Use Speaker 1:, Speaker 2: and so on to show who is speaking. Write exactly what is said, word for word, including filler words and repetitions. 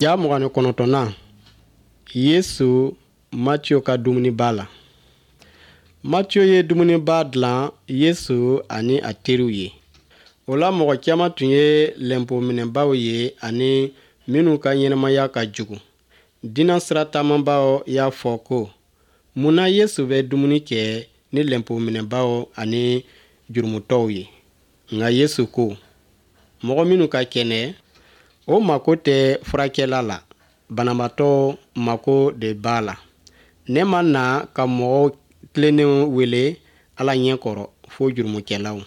Speaker 1: Ja mugan ni kɔnɔntɔnnan Yesu Matiyo ka dumuniba la. Matiyo ye dumuniba dilan Yesu ani a teriw ye. O la mɔgɔ caman tun ye lɛnpo minɛbaaw ye ani minnu ka ɲɛnamaya ka jugu. Diinɛ sira taamabaaw y'a fɔ ko, mun na Yesu bɛ dumuni kɛ ni lɛnpo minɛbaaw ani jurumutɔw ye? Nka Yesu ko, mɔgɔ minnu ka kɛnɛ, o mako tɛ furakɛla la, banabaatɔ mako de b'a la. Ne ma na ka mɔgɔ tilennenw wele Ala ɲɛ kɔrɔ, fo jurumukɛlaw.